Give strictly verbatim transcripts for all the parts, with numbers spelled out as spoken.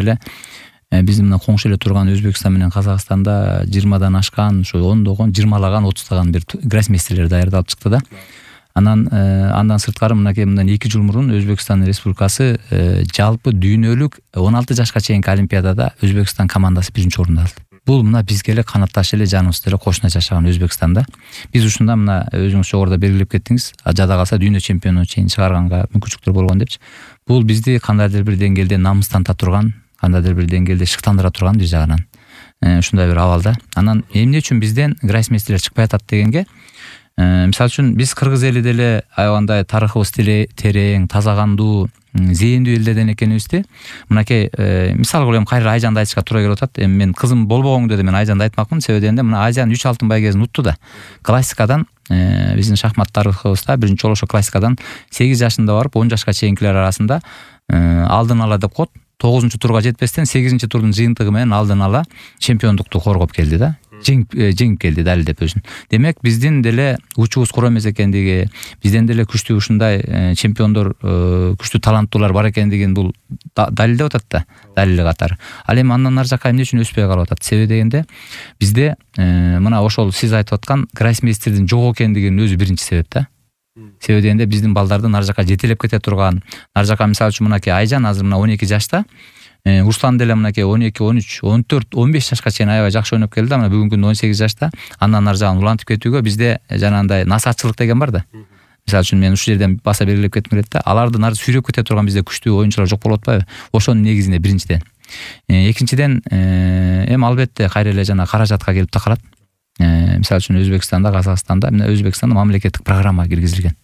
эле биздин мына коңшу эле турган Өзбекстан менен Казакстанда жыйырмадан ашкан, ушу ондогон, жыйырмалаган, отуздаган бир гроссмейстерлер даярдалып чыкты да. Анан андан сырткары мынакей мындан эки жыл мурун Өзбекстан Республикасы жалпы дүйнөлүк он алты жашка чейинки олимпиадада Өзбекстан командасы биринчи орунду алды. Бул мына бизге эле канатташ эле жаныбызды эле кошуна жашаган Өзбекстанда. Биз ушунда мына өзүңүз жогоруда белгилеп кеттиңиз, жада калса дүйнө чемпиону чейин чыгарганга мүмкүнчүлүктөр болгон депчи. Бул бизди кандайдыр бир деңгээлде намыстанта турган, кандайдыр бир деңгээлде шыктандыра турган бир жагынан ушундай бир абалда. Анан эмне үчүн бизден гроссмейстерлер чыкпай атат дегенге, мисалы үчүн биз кыргыз эли деле аябандай тарыхыбыз терең, таза кандуу, зээндүү элдерден экенибизди мынакей мисал кылып эми кайра Айжанды айтышка туура келип атат. Эми мен кызым болбогондо да мен Айжанды айтмакмын, себеби дегенде мына Айжан үч алтын байгесин утту да. Классикадан биздин шахмат тарыхыбызда биринчи жолу ошо классикадан сегиз жашында барып он жашка чейинкилер арасында алдын ала деп коет. тогузунчу турга жетпестен сегизинчи турдун жыйынтыгы менен алдын ала чемпиондукту коргоп келди да. Жеңип жеңип келди далилдеп өзүн. Демек биздин деле учубуз кура эмес экендиги, бизден деле күчтүү ушундай чемпиондор, күчтүү таланттуулар бар экендигин бул далилдеп атат да, далили катары. Ал эми андан ары жака эмне үчүн өспөй калып атат? Себеби дегенде бизде мына ошол сиз айтып аткан гроссмейстердин жок экендигинин өзү биринчи себеп да. Себеби дегенде биздин балдарды ары жака жетелеп кете турган, ары жака мисалы үчүн мынакей Айжан азыр мына он эки жашта, Руслан деле мынакей он эки, он үч, он төрт, он беш жашка чейин аябай жакшы ойноп келди да, мына бүгүнкү күндө он сегиз жашта. Андан ары жагын улантып кетүүгө бизде жанагындай насаатчылык деген бар да. Мисалы үчүн мен ушул жерден баса белгилеп кетким келет да. Аларды нары сүйрөп кете турган бизде күчтүү оюнчулар жок болуп атпайбы? Ошонун негизинде биринчиден. Экинчиден, эми албетте кайра эле жана каражатка келип такалат. Мисалы үчүн Өзбекстанда, Казакстанда, мына Өзбекстанда мамлекеттик программа киргизилген.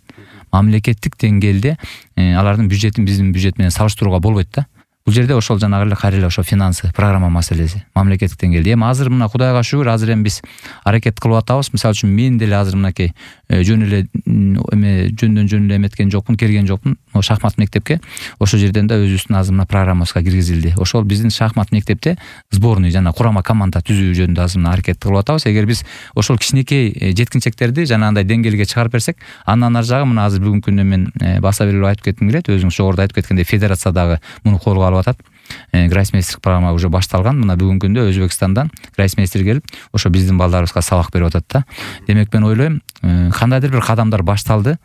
Мамлекеттик деңгээлде алардын бюджетин биздин бюджет менен салыштырууга болбойт да. Бул жерде ошол жанагы эле кайра эле ошо финансы, программа маселеси, мамлекеттик деңгээлде. Эми азыр мына Кудайга шүгүр, азыр эми биз аракет кылып атабыз. Мисалы үчүн мен деле азыр мынакей жөн эле эме жөндөн жөн эле эметкен жокмун, келген жокмун шахмат мектепке. Ошол жерден да өзүбүздүн азыр мына программабызга киргизилди. Ошол биздин шахмат мектепте сборный жана курама команда түзүү жөнүндө азыр мына аракет кылып атабыз. Эгер биз ошол кичинекей жеткинчектерди жанагындай деңгээлге чыгарып берсек, андан ары жагы мына азыр бүгүнкү күндө мен баса белгилеп айтып кетким келет. Өзүңүз жогоруда айтып кеткендей федерациядагы муну колго алып атат. Гроссмейстерлик программа уже башталган. Мына бүгүнкү күндө Өзбекстандан гроссмейстер келип, ошо биздин балдарыбызга сабак берип атат да. Демек мен ойлойм, кандайдыр бир кадамдар башталды.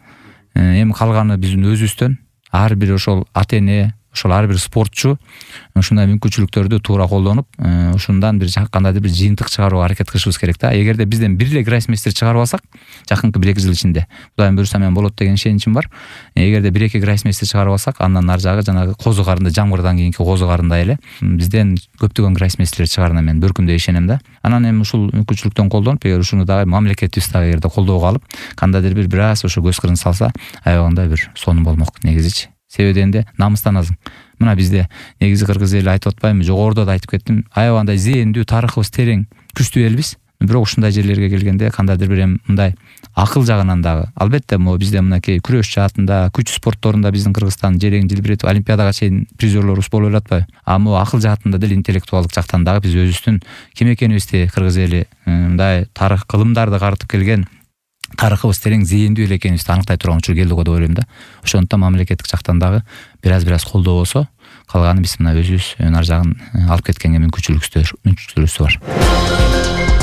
Эми калганы биздин өзүбүздөн, ар бир ошол ата-эне, ошол ар бир спортчу ушундай мүмкүнчүлүктөрдү туура колдонуп, ушундан бир кандайдыр бир жыйынтык чыгарууга аракет кылышыбыз керек да. Эгерде бизден бир эле гроссмейстер чыгарып алсак, жакынкы бир эки жыл ичинде, Кудайым буйруса менен болот деген ишеничим бар. Эгерде бир эки гроссмейстер чыгарып алсак, андан ары жагы жанагы козу карынды, жамгырдан кийинки козу карындай эле бизден көптөгөн гроссмейстерлер чыгарына мен бөркүмдөй ишенем да. Анан эми ушул мүмкүнчүлүктөн колдонуп, эгер ушуну дагы мамлекетибиз дагы эгерде колдоого алып, кандайдыр бир бир аз ошо көз кырын салса, аябагандай бир сонун болмок негизичи. Себеби дегенде намыстанасың. Мына бизде негизи кыргыз эли айтып атпаймынбы, жогоруда да айтып кеттим, аябагандай зээндүү, тарыхыбыз терең, күчтүү элбиз. Бирок ушундай жерлерге келгенде кандайдыр бир эми мындай акыл жагынан дагы, албетте могу бизде мынакей күрөш жаатында, күч спортторунда биздин Кыргызстан жерең желбиретип олимпиадага чейин призерлорубуз болуп эле атпайбы? А могу акыл жаатында деле интеллектуалдык жактан дагы биз өзүбүздүн ким экенибизди, кыргыз эли мындай тарых кылымдарды карытып келген, тарыхыбыз терең, зээндүү эле экенибизди аныктай турган учур келди го деп ойлойм да. Ошондуктан мамлекеттик жактан дагы бир аз бир аз колдоо болсо, калганы биз мына өзүбүз ар жагын алып кеткенге мүмкүнчүлүгүбүз бар.